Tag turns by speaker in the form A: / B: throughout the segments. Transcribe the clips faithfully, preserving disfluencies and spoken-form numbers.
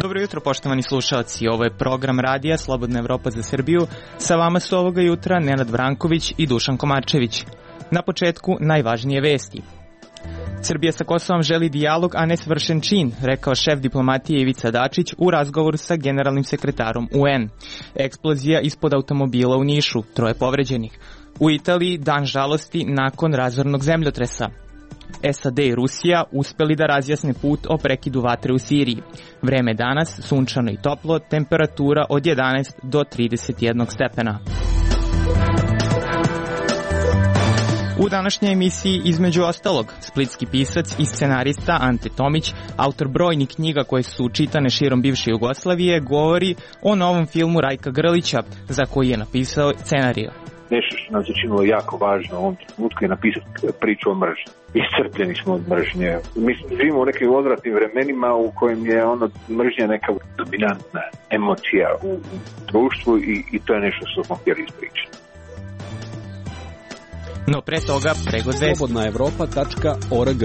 A: Dobro jutro, poštovani slušalci. Ovo je program radija Slobodna Evropa za Srbiju. Sa vama su ovoga jutra Nenad Vranković i Dušan Komarčević. Na početku najvažnije vesti. Srbija sa Kosovom želi dijalog, a ne svršen čin, rekao šef diplomatije Ivica Dačić u razgovoru sa generalnim sekretarom U N. Eksplozija ispod automobila u Nišu, troje povređenih. U Italiji dan žalosti nakon razornog zemljotresa. S A D i Rusija uspeli da razjasne put o prekidu vatre u Siriji. Vreme danas sunčano i toplo, temperatura od jedanaest do trideset jedan stepena. U današnjoj emisiji, između ostalog, splitski pisac i scenarista Ante Tomić, autor brojnih knjiga koje su čitane širom bivše Jugoslavije, govori o novom filmu Rajka Grlića, za koji je napisao scenariju.
B: Nešto što nam se činilo jako važno u ovom trenutku je napisati priču o mržnji. Iscrpljeni smo od mržnje. Mi živimo u nekim odvratnim vremenima u kojem je ono mržnja neka dominantna emocija u društvu i, i to je nešto što smo htjeli ispričati.
A: No pre toga pregled vesti.
C: slobodna evropa tačka org.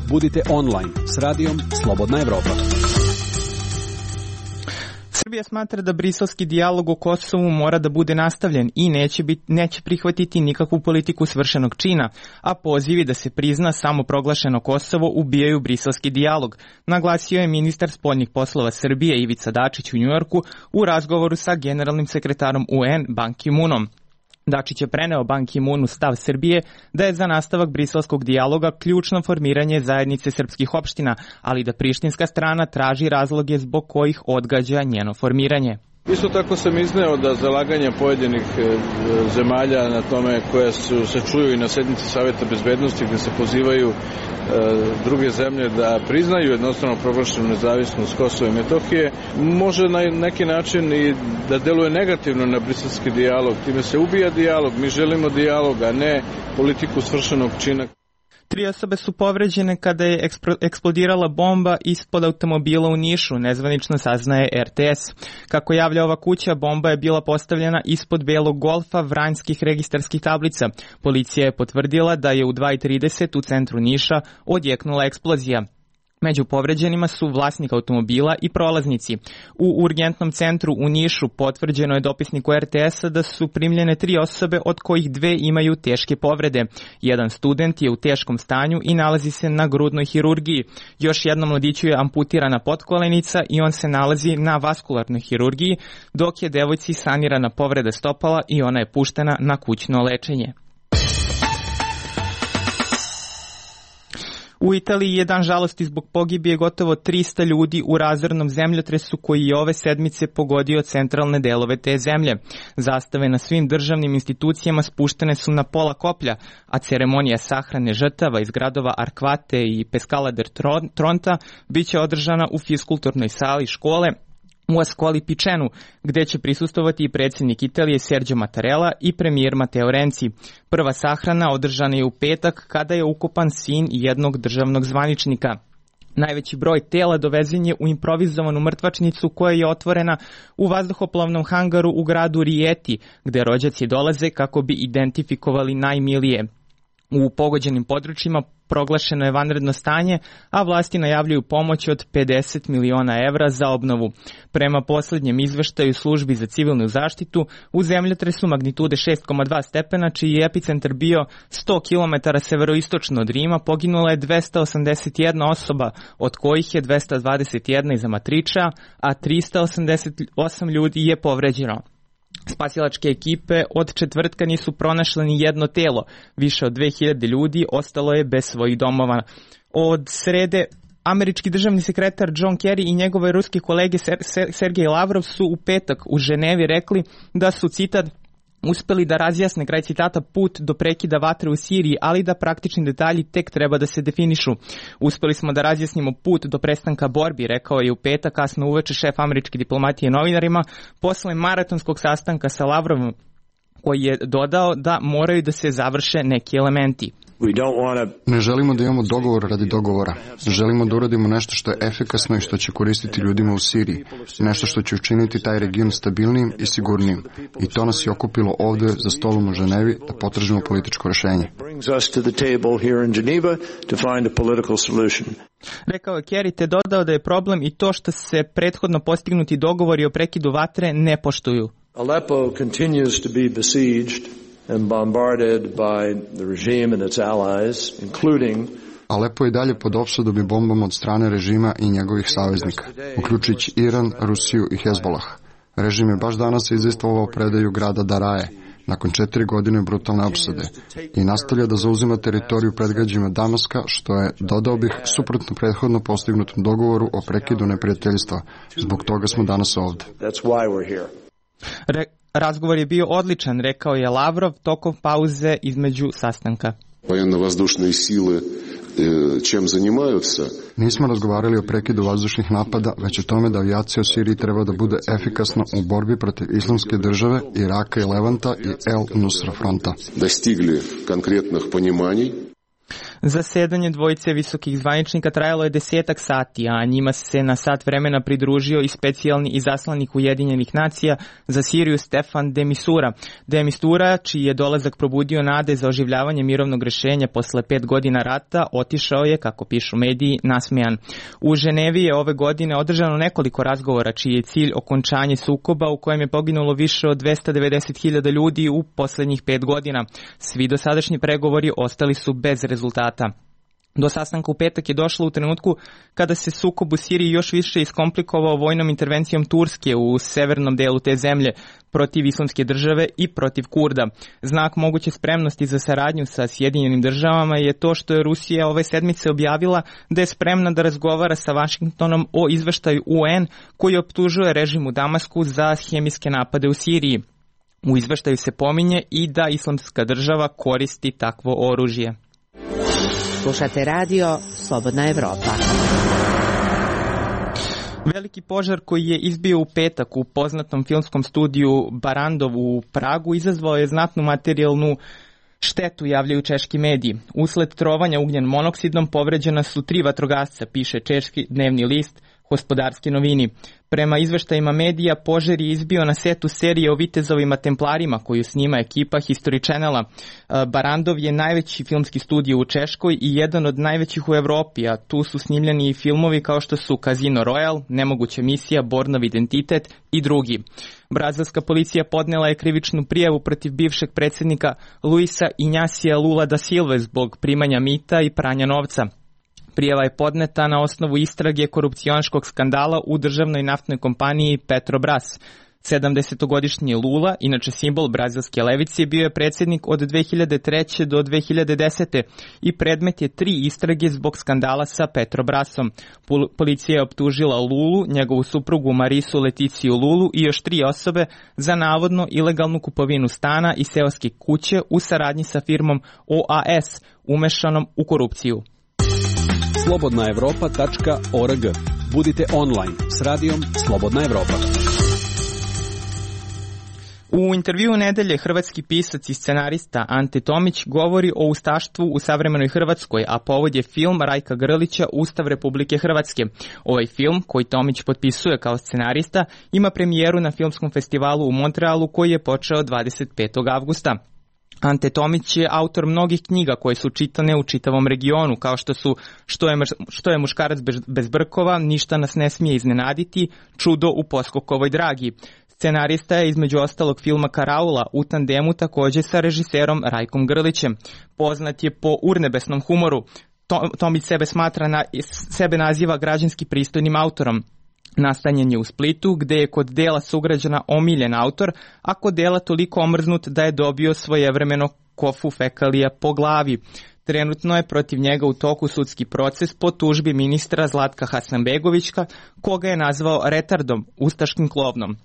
C: Budite online s radijom Slobodna Evropa.
A: Srbija smatra da briselski dijalog o Kosovu mora da bude nastavljen i neće, bit, neće prihvatiti nikakvu politiku svršenog čina, a pozivi da se prizna samoproglašeno Kosovo ubijaju briselski dijalog, naglasio je ministar spoljnih poslova Srbije Ivica Dačić u Njujorku u razgovoru sa generalnim sekretarom U N Ban Ki-moonom. Dačić je preneo Ban Ki-moonu stav Srbije da je za nastavak briselskog dijaloga ključno formiranje zajednice srpskih opština, ali da prištinska strana traži razloge zbog kojih odgađa njeno formiranje.
D: Isto tako sam izneo da zalaganja pojedinih zemalja na tome koje su, se čuju i na sednici Saveta bezbednosti gde se pozivaju e, druge zemlje da priznaju jednostavno proglašenu nezavisnost Kosova i Metohije, može na neki način i da deluje negativno na briselski dijalog. Time se ubija dijalog, mi želimo dijalog, a ne politiku svršenog čina.
A: Tri osobe su povređene kada je eksplodirala bomba ispod automobila u Nišu, nezvanično saznaje R T S. Kako javlja ova kuća, bomba je bila postavljena ispod belog Golfa vranjskih registarskih tablica. Policija je potvrdila da je u dva i trideset u centru Niša odjeknula eksplozija. Među povređenima su vlasnik automobila i prolaznici. U urgentnom centru u Nišu potvrđeno je dopisniku R T S-a da su primljene tri osobe, od kojih dve imaju teške povrede. Jedan student je u teškom stanju i nalazi se na grudnoj hirurgiji. Još jednom mladiću je amputirana potkolenica i on se nalazi na vaskularnoj hirurgiji, dok je devojci sanirana povreda stopala i ona je puštena na kućno lečenje. U Italiji je dan žalosti zbog pogibije gotovo trista ljudi u razornom zemljotresu koji je ove sedmice pogodio centralne delove te zemlje. Zastave na svim državnim institucijama spuštene su na pola koplja, a ceremonija sahrane žrtava iz gradova Arquate i Pescala del Tronta biće održana u fiskulturnoj sali škole u Ascoli Picenu, gde će prisustovati i predsjednik Italije Sergio Mattarella i premijer Matteo Renzi. Prva sahrana održana je u petak kada je ukopan sin jednog državnog zvaničnika. Najveći broj tela dovezen je u improvizovanu mrtvačnicu koja je otvorena u vazduhoplovnom hangaru u gradu Rieti, gde rođaci dolaze kako bi identifikovali najmilije. U pogođenim područjima proglašeno je vanredno stanje, a vlasti najavljuju pomoć od pedeset miliona evra za obnovu. Prema posljednjem izveštaju službi za civilnu zaštitu, u zemljotresu magnitude šest zarez dva stepena, čiji je epicentar bio sto kilometara severoistočno od Rima, poginula je dvesta osamdeset jedna osoba, od kojih je dvesta dvadeset jedna iz Amatriča, a trista osamdeset osam ljudi je povređeno. Spasilačke ekipe od četvrtka nisu pronašle ni jedno telo. Više od dve hiljade ljudi ostalo je bez svojih domova. Od srede američki državni sekretar John Kerry i njegove ruske kolege Sergej Lavrov su u petak u Ženevi rekli da su, citat, uspeli da razjasne, kraj citata, put do prekida vatre u Siriji, ali da praktični detalji tek treba da se definišu. Uspeli smo da razjasnimo put do prestanka borbi, rekao je u petak kasno uveče šef američke diplomatije novinarima posle maratonskog sastanka sa Lavrovom. koji je dodao da moraju da se završe neki elementi.
E: Ne želimo da imamo dogovor radi dogovora. Želimo da uradimo nešto što je efikasno i što će koristiti ljudima u Siriji. Nešto što će učiniti taj region stabilnijim i sigurnijim. I to nas je okupilo ovde za stolom u Ženevi da potražimo političko rešenje.
A: Rekao je Kerry, te dodao da je problem i to što se prethodno postignuti dogovori o prekidu vatre ne poštuju.
F: Aleppo continues to be besieged and bombarded by the regime and its allies, including
E: Alepo je dalje pod opsadom i bombom od strane režima i njegovih saveznika, uključujući Iran, Rusiju i Hezbolah. Režim je baš danas izvestvovao predaju grada Daraje, nakon četiri godine brutalne opsade, i nastavlja da zauzima teritoriju predgrađima Damaska, što je, dodao bih, suprotno prethodno postignutom dogovoru o prekidu neprijateljstva. Zbog toga smo danas ovde.
A: Re- razgovor je bio odličan, rekao je Lavrov tokom pauze između sastanka.
G: Военно-воздушные силы чем занимаются?
E: Nismo razgovarali o prekidu vazdušnih napada, već o tome da avijacija u Siriji treba da bude efikasna u borbi protiv Islamske države, Iraka i Levanta i El Nusra fronta.
G: Достигли конкретных пониманий.
A: Zasedanje dvojice visokih zvaničnika trajalo je desetak sati, a njima se na sat vremena pridružio i specijalni izaslanik Ujedinjenih nacija za Siriju Stefan de Mistura. De Mistura, čiji je dolazak probudio nade za oživljavanje mirovnog rešenja posle pet godina rata, otišao je, kako pišu mediji, nasmejan. U Ženevi je ove godine održano nekoliko razgovora, čiji je cilj okončanje sukoba u kojem je poginulo više od dvesta devedeset hiljada ljudi u poslednjih pet godina. Svi dosadašnji pregovori ostali su bez rezultata. Do sastanka u petak je došlo u trenutku kada se sukob u Siriji još više iskomplikovao vojnom intervencijom Turske u severnom delu te zemlje protiv Islamske države i protiv Kurda. Znak moguće spremnosti za saradnju sa Sjedinjenim državama je to što je Rusija ove sedmice objavila da je spremna da razgovara sa Vašingtonom o izveštaju U N koji optužuje režim u Damasku za hemijske napade u Siriji. U izveštaju se pominje i da Islamska država koristi takvo oružje.
H: Slušate radio Slobodna Evropa.
A: Veliki požar koji je izbio u petak u poznatom filmskom studiju Barandov u Pragu izazvao je znatnu materijalnu štetu, javljaju češki mediji. Usled trovanja ugljen monoksidom povređena su tri vatrogasca, piše češki dnevni list Gospodarske novini. Prema izveštajima medija, požar je izbio na setu serije o vitezovima templarima koju snima ekipa History Channela. Barandov je najveći filmski studio u Češkoj i jedan od najvećih u Evropi, a tu su snimljeni i filmovi kao što su Casino Royale, Nemoguća misija, Bornov identitet i drugi. Brazilska policija podnela je krivičnu prijavu protiv bivšeg predsjednika Luisa Injasija Lula da Silve zbog primanja mita i pranja novca. Prijava je podneta na osnovu istrage korupcionaškog skandala u državnoj naftnoj kompaniji Petrobras. sedamdesetogodišnji Lula, inače simbol brazilske levice, bio je predsjednik od dve hiljade treće do dve hiljade desete i predmet je tri istrage zbog skandala sa Petrobrasom. Policija je optužila Lulu, njegovu suprugu Marisu Leticiju Lulu i još tri osobe za navodno ilegalnu kupovinu stana i seoske kuće u saradnji sa firmom O A S, umešanom u korupciju.
C: slobodna evropa tačka org. Budite online s radijom Slobodna Evropa.
A: U intervjuu nedelje hrvatski pisac i scenarista Ante Tomić govori o ustaštvu u savremenoj Hrvatskoj, a povod je film Rajka Grlića Ustav Republike Hrvatske. Ovaj film, koji Tomić potpisuje kao scenarista, ima premijeru na filmskom festivalu u Montrealu koji je počeo dvadeset petog avgusta. Ante Tomić je autor mnogih knjiga koje su čitane u čitavom regionu, kao što su Što je, što je muškarac bez, bez brkova, Ništa nas ne smije iznenaditi, Čudo u Poskokovoj dragi. Scenarista je između ostalog filma Karaula u tandemu također sa režiserom Rajkom Grlićem. Poznat je po urnebesnom humoru. Tomić sebe smatra na, sebe naziva građanski pristojnim autorom. Nastanjen je u Splitu, gde je kod dela sugrađana omiljen autor, a kod dela toliko omrznut da je dobio svojevremeno kofu fekalija po glavi. Trenutno je protiv njega u toku sudski proces po tužbi ministra Zlatka Hasanbegovića, koga je nazvao retardom, ustaškim klovnom.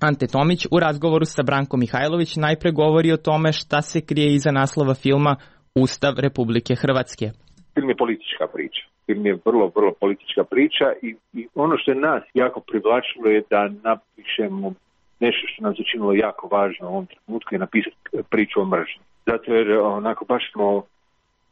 A: Ante Tomić u razgovoru sa Brankom Mihajlović najpre govori o tome šta se krije iza naslova filma Ustav Republike Hrvatske.
B: Film je politička priča. Film je vrlo, vrlo politička priča i, i ono što je nas jako privlačilo je da napišemo nešto što nam se činilo jako važno u ovom trenutku je napisati priču o mržnji. Zato jer onako baš smo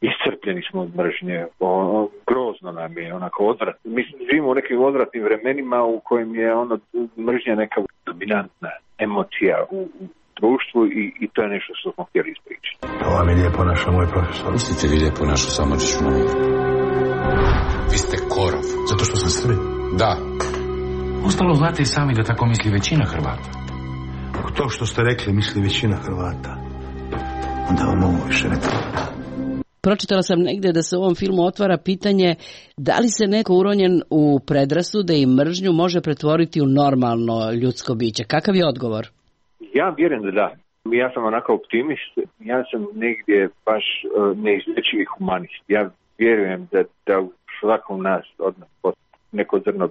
B: iscrpljeni smo od mržnje, o, grozno nam je, onako odvratno. Mi živimo u nekim odvratnim vremenima u kojim je ono mržnja neka dominantna emocija u, u društvu i, i to je nešto što smo htjeli ispričati.
I: To vam je lijepo našo, moj profesor.
J: Pustite vi lijepo našu Samardžiću na mir. Vi ste korov.
I: Zato što sam Srbin?
J: Da.
I: Ostalo znate i sami da tako misli većina Hrvata. Ako to što ste rekli misli većina Hrvata, onda vam ovo više ne treba.
K: Pročitala sam negde da se u ovom filmu otvara pitanje da li se neko uronjen u predrasude i mržnju može pretvoriti u normalno ljudsko biće. Kakav je odgovor?
B: Ja vjerujem da da. Ja sam onako optimist. Ja sam negdje baš uh, neizlječivi humanist. Ja vjerujem da, da u svakom nas od nas postoji neko zrno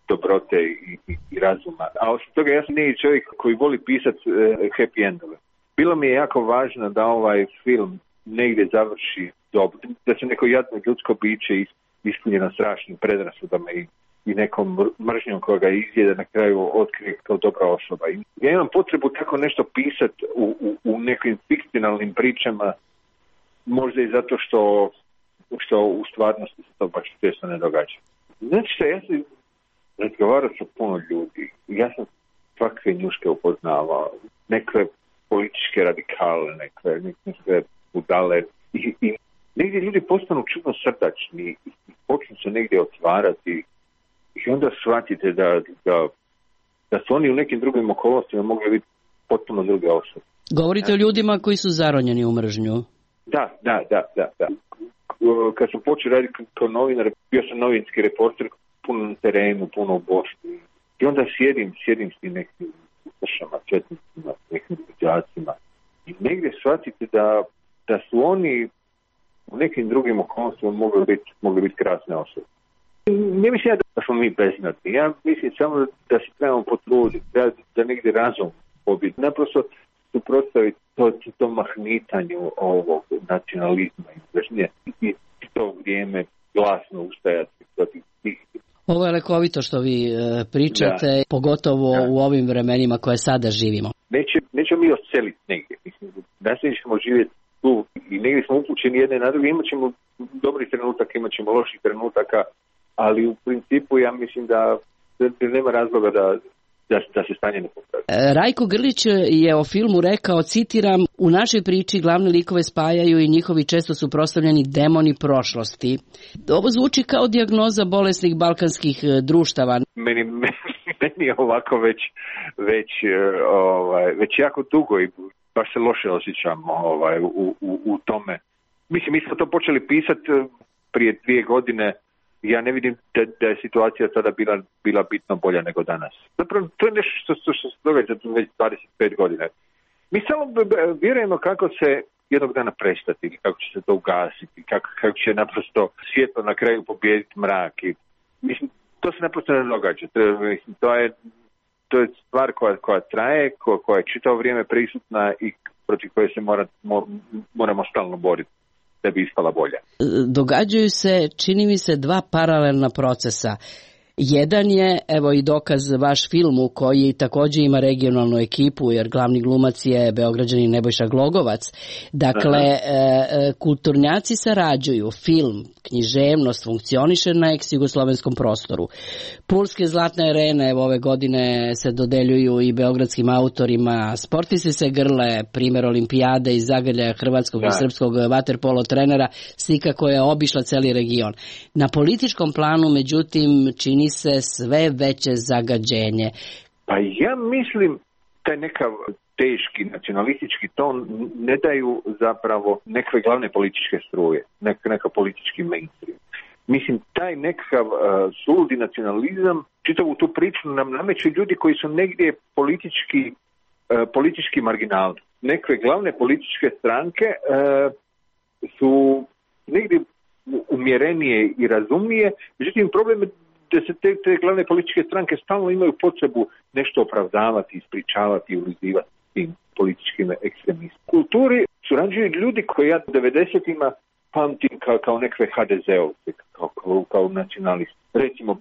B: dobrote i, i, i razuma. A osim toga ja sam neki čovjek koji voli pisati uh, happy endove. Bilo mi je jako važno da ovaj film negdje završi dobro, da se neko jadno ljudsko biće ispunjeno strašnim predrasudama i, i nekom mržnjom koja ga izjede na kraju otkrije kao dobra osoba. I ja imam potrebu tako nešto pisati u, u, u nekim fikcionalnim pričama, možda i zato što, što u stvarnosti se to baš često ne događa. Znači što, ja sam razgovarao sa puno ljudi, ja sam svakve njuške upoznavao, neke političke radikale, neke, neke budale i, i negdje ljudi postanu čudno srdačni i počnu se negdje otvarati i onda shvatite da, da, da su oni u nekim drugim okolnostima mogli biti potpuno druge osobe.
K: Govorite o ljudima koji su zaronjeni u mržnju.
B: Da, da, da, da, da. Kad sam počeo raditi kao novinar, bio sam novinski reporter, puno na terenu, puno u Bosni. I onda sjedim, sjedim s tim nekim ustašama, četnicima, nekim đacima. I negdje shvatite da, da su oni u nekim drugim okolnostima mogli biti, mogli biti krasne osobe. Ne mislim ja da smo mi beznadni. Ja mislim samo da se trebamo potruditi, da, da negdje razum pobiti. Naprosto suprotstaviti to, to mahnitanju ovog nacionalizma i mržnje i to vrijeme glasno ustajati protiv tih.
K: Ovo je lekovito što vi e, pričate, da. Pogotovo da. U ovim vremenima koje sada živimo.
B: Neće, nećemo mi odseliti negdje. Mislim, nastavit ćemo živjeti tu i negdje smo upućeni jedne na druge. Imat ćemo dobrih trenutaka, imat ćemo loših trenutaka, ali u principu ja mislim da, da nema razloga da, da, da se stanje ne popravi.
K: Rajko Grlić je o filmu rekao, citiram, u našoj priči glavne likove spajaju i njihovi često suprotstavljeni demoni prošlosti. Ovo zvuči kao dijagnoza bolesnih balkanskih društava.
B: Meni, meni je ovako već, već, ovaj, već jako dugo i baš se loše osjećam ovaj, u, u, u tome. Mislim, mi smo to počeli pisati prije dvije godine. Ja ne vidim da, da je situacija sada bila, bila bitno bolja nego danas. Zapravo, to je nešto što, što, što se događa već dvadeset pet godina. Mi samo vjerujemo kako se jednog dana prestati, ili kako će se to ugasiti, kako, kako će naprosto svjetlo na kraju pobijediti mrak. I, mislim, to se naprosto ne događa. To, mislim, to je To je stvar koja, koja traje, koja, koja je čitavo vrijeme prisutna i protiv koje se mora, moramo stalno boriti da bi ispala bolja.
K: Događaju se, čini mi se, dva paralelna procesa. Jedan je, evo i dokaz vaš filmu koji također ima regionalnu ekipu jer glavni glumac je Beograđanin Nebojša Glogovac. Dakle, e, kulturnjaci sarađuju, film, književnost funkcioniše na ex-jugoslovenskom prostoru. Pulske zlatne arene evo ove godine se dodeljuju i beogradskim autorima. Sportisti se grle, primjer olimpijade i zagrljaja hrvatskog da. i srpskog vaterpolo trenera, slika koja je obišla cijeli region. Na političkom planu, međutim, čini se sve veće zagađenje.
B: Pa ja mislim taj nekav teški nacionalistički ton ne daju zapravo neke glavne političke struje, neka, neka politički mainstream. Mislim, taj nekakav uh, suludi nacionalizam, čitavu tu priču nam nameću ljudi koji su negdje politički, uh, politički marginalni. Neke glavne političke stranke uh, su negdje umjerenije i razumnije, međutim problem je da se te, te glavne političke stranke stalno imaju potrebu nešto opravdavati, ispričavati i ulizivati tim političkim ekstremistima. U kulturi surađuju ljudi koji ja u devedesetima pamtim kao, kao nekve ha de zeovce, kao, kao, kao nacionalisti. Recimo,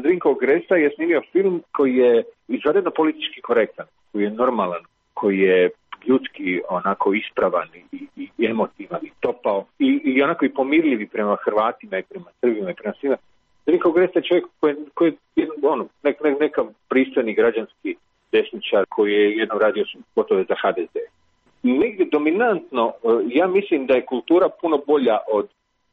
B: Zrinko Gresa je snimio film koji je izvanredno politički korektan, koji je normalan, koji je ljudski onako ispravan i, i, i emotivan i topao i, i onako i pomirljivi prema Hrvatima i prema Srbima i prema svima. Zrinko Gresa je čovjek koji, koji je ono, nek, nek, neka pristojni građanski desničar koji je jednom radio gotovo za ha de ze. Negdje dominantno, ja mislim da je kultura puno bolja od,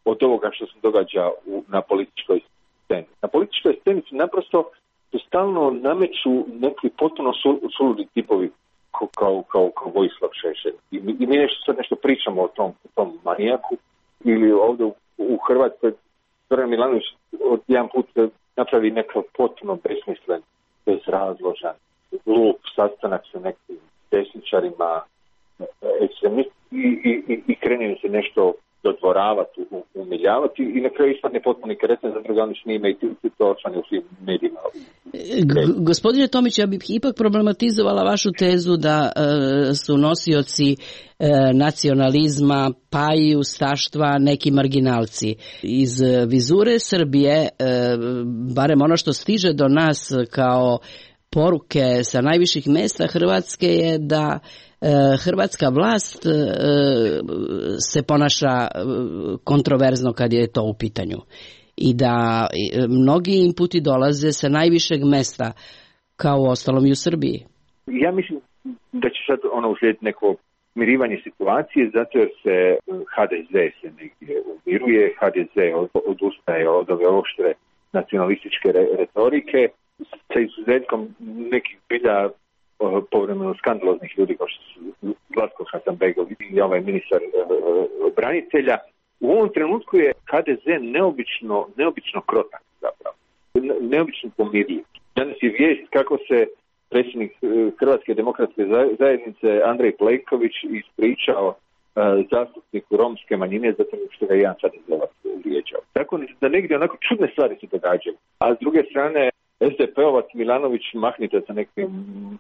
B: od ovoga što se događa u, na političkoj sceni. Na političkoj sceni se naprosto se stalno nameću neki potpuno suludi tipovi kao, kao, kao, kao Vojislav Šešelj. I, I mi nešto sad nešto pričamo o tom, o tom manijaku ili ovdje u, u Hrvatskoj Zoran Milanović od jedan put napravi nekakav potpuno besmislen, bezrazložan, glup sastanak sa nekim desničarima, ekstremisti i, i, i krene se nešto dodvoravati, umiljavati i na kraju ispadne potpuno kretan, zato ga oni snime i ti to osvane u svim medijima.
K: G- gospodine Tomić, ja bih ipak problematizovala vašu tezu da e, su nosioci e, nacionalizma, pa i ustaštva neki marginalci. Iz vizure Srbije, e, barem ono što stiže do nas kao poruke sa najviših mesta Hrvatske je da hrvatska vlast se ponaša kontroverzno kad je to u pitanju i da mnogi inputi dolaze sa najvišeg mesta kao u ostalom i u Srbiji.
B: Ja mislim da će sad ono uslijediti neko mirivanje situacije zato jer se ha de ze se negdje umiruje, ha de ze odustaje od ove oštre nacionalističke retorike sa izuzetkom nekih bilja povremeno skandaloznih ljudi kao što su Zlatko Hasanbegović i ovaj ministar e, branitelja. U ovom trenutku je ha de ze neobično, neobično krotak zapravo. Ne, neobično pomirljiv. Danas je vijest kako se predsjednik Hrvatske demokratske zajednice Andrej Plenković ispričao e, zastupniku romske manjine zato što ga je jedan ha de zeovac vrijeđao. Tako da negdje onako čudne stvari se događaju. A s druge strane es de pe-ovac Milanović mahnite sa nekim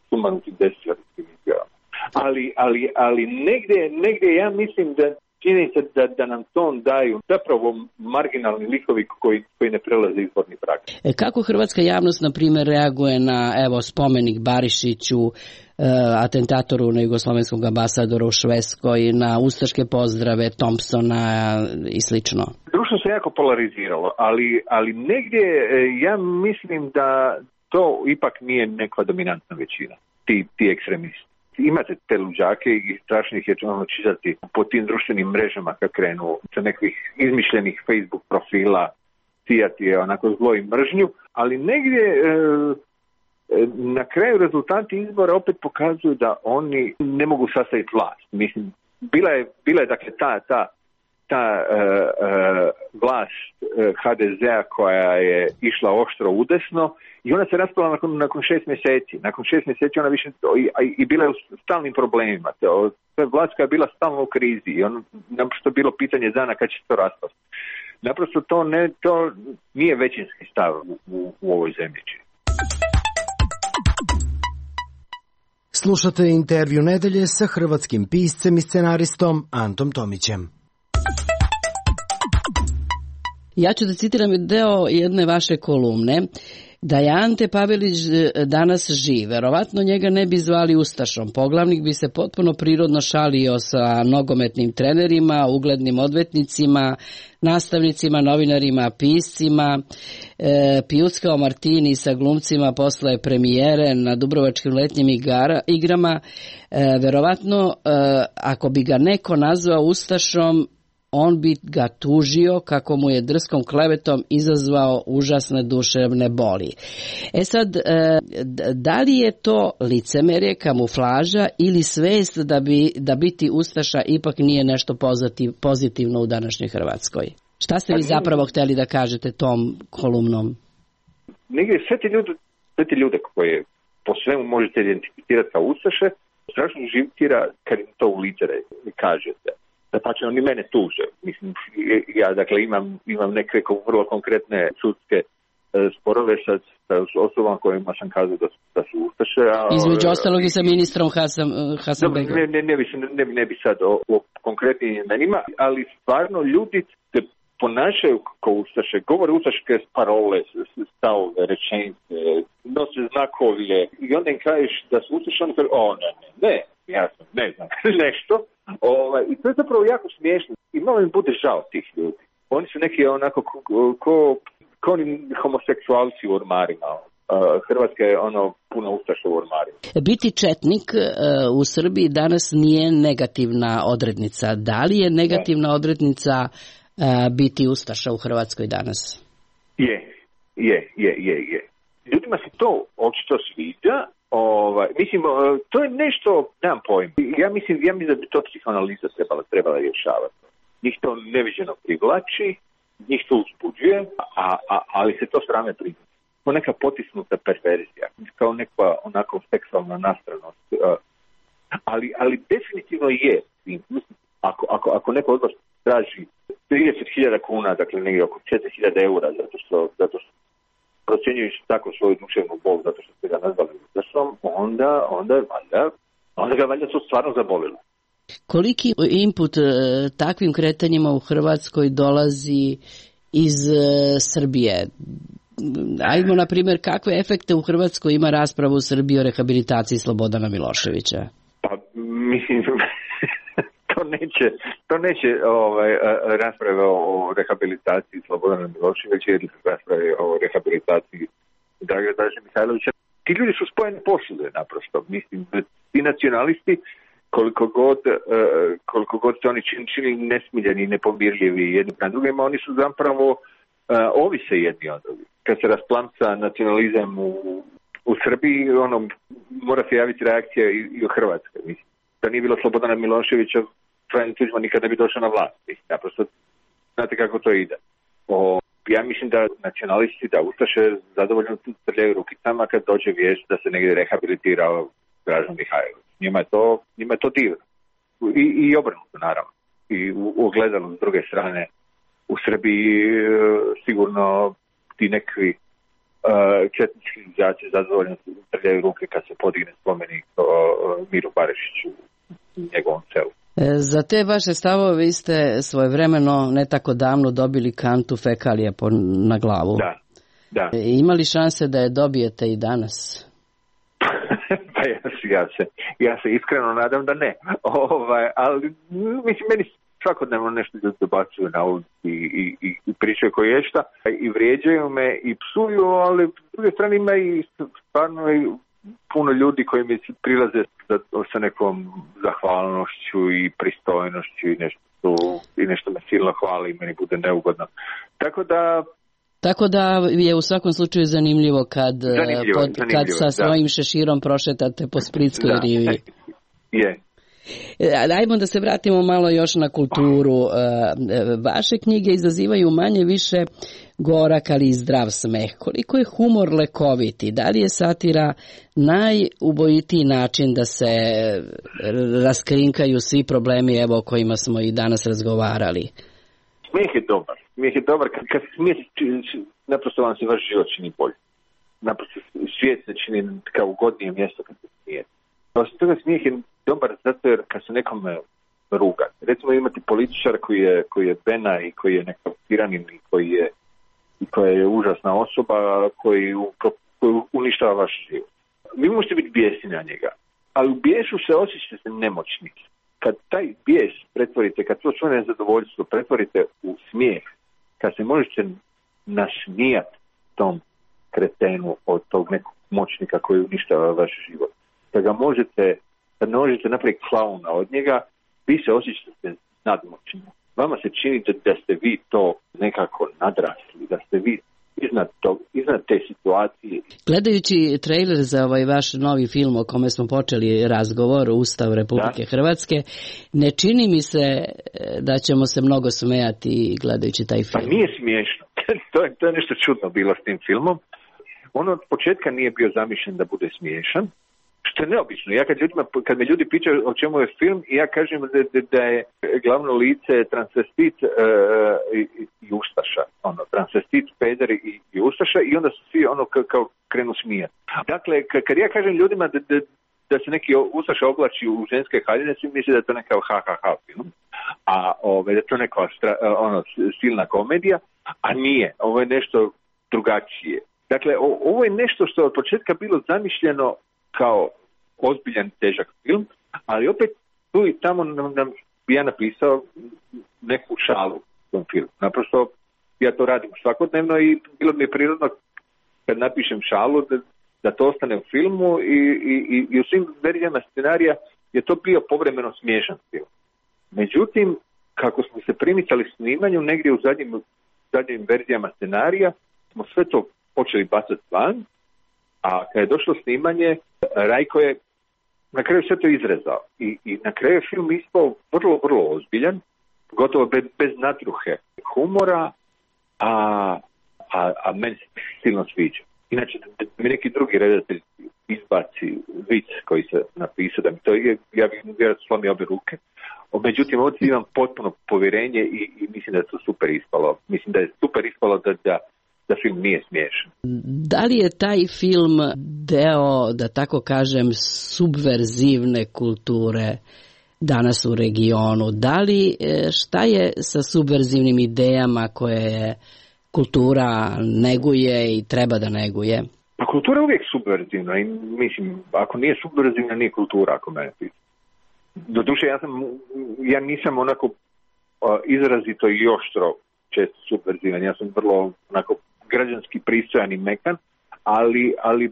B: sumanutim desničarskim izjavama. Ali, ali, ali negdje, negdje ja mislim da čini se da, da nam to daju zapravo marginalni likovi koji, koji ne prelaze izborni prag.
K: E, kako hrvatska javnost, na primjer, reaguje na evo spomenik Barišiću, e, atentatoru na jugoslovenskom ambasadoru u Švedskoj, na ustaške pozdrave Thompsona i slično?
B: Društvo se jako polariziralo, ali, ali negdje ja mislim da to ipak nije neka dominantna većina, ti, ti ekstremisti. Imate te luđake i strašnih je ono čitati po tim društvenim mrežama kad krenu sa nekih izmišljenih Facebook profila, sijati je onako zlo i mržnju, ali negdje e, na kraju rezultati izbora opet pokazuju da oni ne mogu sastaviti vlast. Mislim, bila je, bila je dakle ta, ta, ta e, e, vlast e, ha de zea koja je išla oštro udesno i ona se raspala nakon, nakon šest mjeseci. Nakon šest mjeseci ona više i, i bila je u stalnim problemima. To je vlast koja je bila stalno u krizi i ono naprosto bilo pitanje dana kad će se to raspasti. Naprosto to, ne, to nije većinski stav u, u, u ovoj zemlji.
L: Slušate intervju nedelje sa hrvatskim piscem i scenaristom Antom Tomićem.
K: Ja ću da citiram deo jedne vaše kolumne. Da je Ante Pavelić danas živ, verovatno njega ne bi zvali ustašom. Poglavnik bi se potpuno prirodno šalio sa nogometnim trenerima, uglednim odvetnicima, nastavnicima, novinarima, piscima, e, pijuckao martini sa glumcima posle premijere na Dubrovačkim letnjim igara, igrama. E, verovatno, e, ako bi ga neko nazvao ustašom, on bi ga tužio kako mu je drskom klevetom izazvao užasne duševne boli. E sad, da li je to licemerje, kamuflaža ili svest da bi da biti ustaša ipak nije nešto pozitivno u današnjoj Hrvatskoj? Šta ste vi zapravo htjeli da kažete tom kolumnom?
B: Negdje sve te ljude, sve te ljude koje po svemu možete identificirati kao ustaše, strašno živtira kad im to u lice kažete. Da pa će oni mene tuže. Mislim, ja dakle imam, imam neke vrlo konkretne sudske e, sporove sa, sa osobama kojima sam kazao da, da su ustaše. A,
K: između ostalog i sa ministrom Hasan, Hasanbegovićem.
B: Ne, ne, ne, bi, ne, ne bi sad o, o konkretnim imenima, ali stvarno ljudi se ponašaju kao ustaše, govore ustaške parole, stavove, rečenice, nose znakovlje i onda im kažeš da su ustaše, oni kažu, o ne, ne, ne, ja sam, ne znam, nešto. Ovaj, I to je zapravo jako smiješno i malo im bude žao tih ljudi. Oni su neki onako ko, ko, ko oni homoseksualci u ormarima. Hrvatska je ono puno ustaša u ormarima.
K: Biti četnik uh, u Srbiji danas nije negativna odrednica. Da li je negativna ne. odrednica uh, biti ustaša u Hrvatskoj danas?
B: Je, je, je, je, je. Ljudima se to očito sviđa. Ovaj, mislim, to je nešto, nemam pojma. Ja mislim, ja mislim da bi to psihoanaliza trebala, trebala rješavati. Njih to neviđeno privlači, njih to uzbuđuje, a, a, ali se to strane priznaje. Kao neka potisnuta perverzija, kao neka onako seksualna nastranost. Ali, ali definitivno je. Ako, ako, ako neko od vas traži trideset hiljada kuna, dakle negdje oko četiri hiljade eura, zato što, zato što procjenjujući tako svoju duševnu bol, zato što ste ga nazvali ustašom, onda, onda, valjda, onda ga valjda to stvarno zabolilo.
K: Koliki input e, takvim kretanjima u Hrvatskoj dolazi iz e, Srbije? Ajmo, na primjer, kakve efekte u Hrvatskoj ima rasprava u Srbiji o rehabilitaciji Slobodana Miloševića?
B: Pa, mislim, to neće, to neće ovaj, rasprave o rehabilitaciji Slobodana Miloševića ili rasprave o rehabilitaciji Draže Mihajlovića. Ti ljudi su spojene posude, naprosto. Mislim, ti nacionalisti, koliko god, koliko god se oni čini, čini nesmiljeni i nepomirljivi jedni na drugima, oni su zapravo ovise jedni od drugih. Kad se rasplamca nacionalizam u, u Srbiji, ono, mora se javiti reakcija i, i u Hrvatskoj. Mislim, da nije bilo Slobodana Miloševića, Franjo Tuđman nikad ne bi došao na vlast. Naprosto, znate kako to ide. O, ja mislim da nacionalisti, da ustaše zadovoljno trljaju rukicama kad dođe vijest da se negdje rehabilitirao Dražen Mihajlović. Njima je to, njima je to divno. I, i obrnuto, naravno. I u, u ogledalu s druge strane, u Srbiji sigurno ti nekvi uh, četnički izjaci zadovoljno trljaju ruke kad se podigne spomenik uh, Miru Barišiću u njegovom selu.
K: Za te vaše stavove vi ste svojevremeno ne tako davno dobili kantu fekalije po, na glavu.
B: Da, da.
K: Ima li šanse da je dobijete i danas?
B: Pa ja, ja, se, ja se iskreno nadam da ne. Ovaj, ali mislim, meni svakodnevno nešto ljudi dobacuju na ulici i, i, i pričaju koje je šta i vrijeđaju me i psuju, ali s druge strane ima i stvarno i puno ljudi koji mi prilaze sa nekom zahvalnošću i pristojnošću i nešto, i nešto me silno hvali i meni bude neugodno. Tako da
K: Tako da je u svakom slučaju zanimljivo kad,
B: zanimljivo,
K: pod,
B: zanimljivo,
K: kad sa
B: da.
K: svojim šeširom prošetate po Splitskoj
B: da.
K: rivi.
B: Je.
K: Ajmo da se vratimo malo još na kulturu. Vaše knjige izazivaju manje više gorak, ali i zdrav smeh. Koliko je humor lekoviti? Da li je satira najubojitiji način da se raskrinkaju svi problemi, evo, o kojima smo i danas razgovarali?
B: Smijeh je dobar. Smijeh je dobar. Kad, kad smijeh, naprosto vam se vaš život čini bolje. Naprosto svijet se čini kao ugodnije mjesto kad se smijete. Osim toga, smijeh je dobar zato jer kad se nekome ruga. Recimo imati političar koji je, koji je bena i koji je nekakav tiranin i koji je, i koja je užasna osoba koji, koji uništava vaš život. Vi možete biti bijesni na njega, ali u bijesu se osjećate nemoćni. Kad taj bijes pretvorite, kad to svoje nezadovoljstvo pretvorite u smijeh, kad se možete nasmijati tom kretenu od tog nekog moćnika koji uništava vaš život, da ga možete, da ne možete napraviti klauna od njega, vi se osjećate nadmoćni. Vama se čini da, da ste vi to nekako nadrasli, da ste vi iznad, to, iznad te situacije.
K: Gledajući trailer za ovaj vaš novi film o kome smo počeli razgovor, Ustav Republike da. Hrvatske, ne čini mi se da ćemo se mnogo smejati gledajući taj film.
B: Pa nije smiješno. to, je, to je nešto čudno bilo s tim filmom. On od početka nije bio zamišljen da bude smiješan, što je neobično. Ja kad, ljudima, kad me ljudi pitaju o čemu je film, ja kažem da, da, da je glavno lice transvestit uh, i, i ustaša. Ono, transvestit, peder i, i ustaša i onda su svi ono kao, kao krenu smijati. Dakle, kad ja kažem ljudima da, da, da se neki ustaša oblači u ženske haljine, svi misle da je to neka ha ha ha film. a ove, da to neka stra, ono, silna komedija, a nije. Ovo je nešto drugačije. Dakle, o, ovo je nešto što je od početka bilo zamišljeno kao ozbiljan, težak film, ali opet tu i tamo nam, nam bi ja napisao neku šalu u tom filmu. Naprosto ja to radim svakodnevno i bilo mi je prirodno kad napišem šalu da, da to ostane u filmu i, i, i u svim verzijama scenarija je to bio povremeno smiješan film. Međutim, kako smo se primicali snimanju, negdje u zadnjim, zadnjim verzijama scenarija smo sve to počeli bacati van, a kad je došlo snimanje, Rajko je na kraju sve to izrezao. I, i na kraju je film ispao vrlo, vrlo ozbiljan, gotovo bez, bez natruhe humora, a, a, a meni se silno sviđa. Inače, da mi neki drugi redatelj izbaci vic koji se napisao, da mi to je, ja bih vjerojatno slomio obje ruke. Međutim, ovdje imam potpuno povjerenje i, i mislim da je to super ispalo. Mislim da je super ispalo da, da, da film nije smiješan.
K: Da li je taj film deo, da tako kažem, subverzivne kulture danas u regionu? Da li, šta je sa subverzivnim idejama koje je kultura neguje i treba da neguje?
B: Pa kultura je uvijek subverzivna i mislim, ako nije subverzivna, nije kultura, ako mene pita. Doduše, ja, sam, ja nisam onako uh, izrazito i oštro često subverzivan, ja sam vrlo onako građanski pristojan i mekan, ali, ali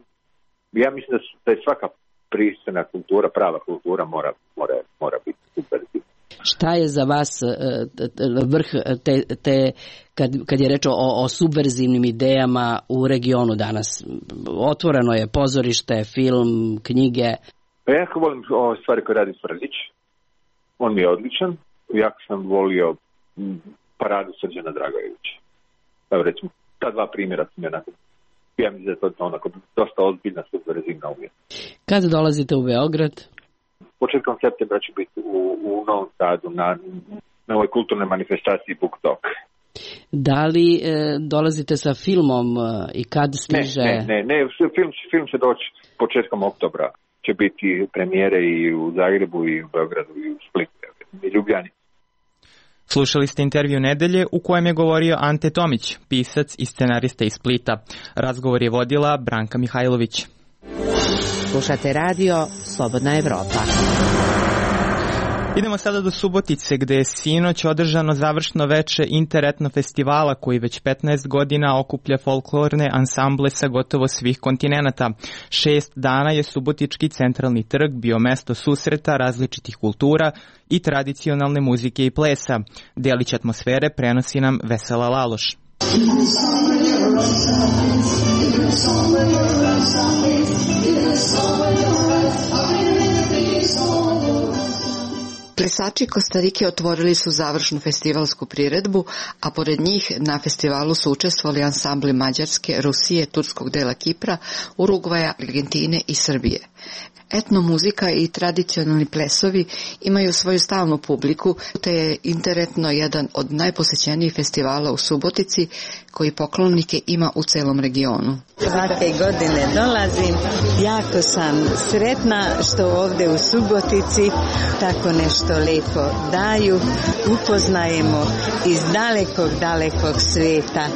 B: ja mislim da, su, da je svaka pristojna kultura, prava kultura mora, mora, mora biti subverzivna.
K: Šta je za vas vrh te, te kad, kad je reč o, o subverzivnim idejama u regionu danas? Otvoreno je pozorište, film, knjige.
B: Ja jako volim o stvari koje radi Frljić. On mi je odličan. Jako sam volio paradu Srđana Dragojevića. Evo recimo, ta dva primjera su mi onako, ja mislim da je to onako dosta ozbiljna subverzivna umjetnost.
K: Kada dolazite u Beograd?
B: Početkom septembra ću biti u, u Novom Sadu na, na ovoj kulturnoj manifestaciji Book Talk.
K: Da li e, dolazite sa filmom e, i kad stiže?
B: Ne, ne, ne, ne film, film će doći početkom oktobra. Će biti premijere i u Zagrebu i u Beogradu i u Splitu i Ljubljani.
A: Slušali ste intervju nedelje u kojem je govorio Ante Tomić, pisac i scenarista iz Splita. Razgovor je vodila Branka Mihajlović.
H: Slušate radio Slobodna Evropa.
A: Idemo sada do Subotice, gde je sinoć održano završno veče Interetno festivala koji već petnaest godina okuplja folklorne ansamble sa gotovo svih kontinenata. Šest dana je Subotički centralni trg bio mesto susreta različitih kultura i tradicionalne muzike i plesa. Delić atmosfere prenosi nam Vesela Laloš.
M: Plesači Kostarike otvorili su završnu festivalsku priredbu, a pored njih na festivalu su učestvovali ansambli Mađarske, Rusije, turskog dela Kipra, Urugvaja, Argentine i Srbije. Etnomuzika i tradicionalni plesovi imaju svoju stalnu publiku, te je Interetno jedan od najposećenijih festivala u Subotici koji poklonike ima u celom regionu.
N: Svake godine dolazim, jako sam sretna što ovdje u Subotici tako nešto lepo daju, upoznajemo iz dalekog, dalekog sveta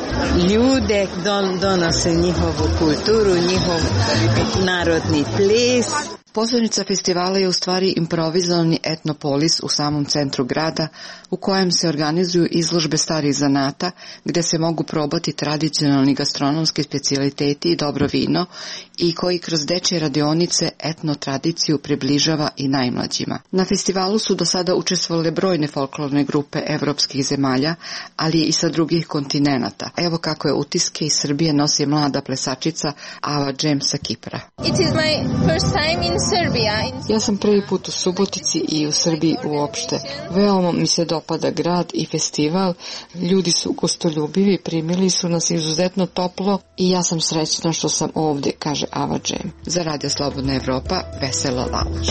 N: ljude, don, donose njihovu kulturu, njihov narodni ples.
M: Pozornica festivala je u stvari improvizovani etnopolis u samom centru grada u kojem se organizuju izložbe starih zanata gde se mogu probati tradicionalni gastronomski specijaliteti i dobro vino i koji kroz dečje radionice etno tradiciju približava i najmlađima. Na festivalu su do sada učestvovale brojne folklorne grupe evropskih zemalja, ali i sa drugih kontinenata. Evo kako je utiske iz Srbije nosi mlada plesačica Ava Džem sa Kipra.
O: It is my first time in
M: Ja sam prvi put u Subotici i u Srbiji uopšte. Veoma mi se dopada grad i festival. Ljudi su gostoljubivi, primili su nas izuzetno toplo i ja sam srećna što sam ovdje, kaže Ava Džem. Za Radio Slobodna Evropa, Vesela Laloš.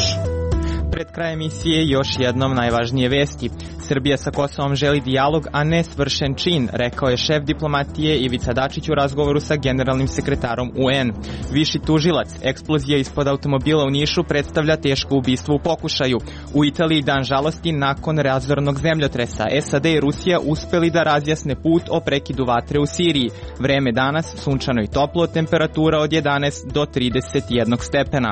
A: Pred kraj emisije još jednom najvažnije vesti. Srbija sa Kosovom želi dijalog, a ne svršen čin, rekao je šef diplomatije Ivica Dačić u razgovoru sa generalnim sekretarom U N. Viši tužilac, eksplozija ispod automobila u Nišu predstavlja teško ubistvo u pokušaju. U Italiji dan žalosti nakon razornog zemljotresa. S A D i Rusija uspeli da razjasne put o prekidu vatre u Siriji. Vreme danas sunčano i toplo, temperatura od jedanaest do trideset jedan stepena.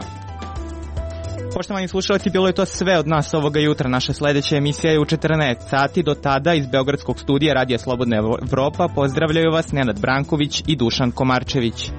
A: Poštovani slušalci, bilo je to sve od nas ovoga jutra. Naša sledeća emisija je u četrnaest sati. Do tada iz Beogradskog studija Radija Slobodna Evropa pozdravljaju vas Nenad Branković i Dušan Komarčević.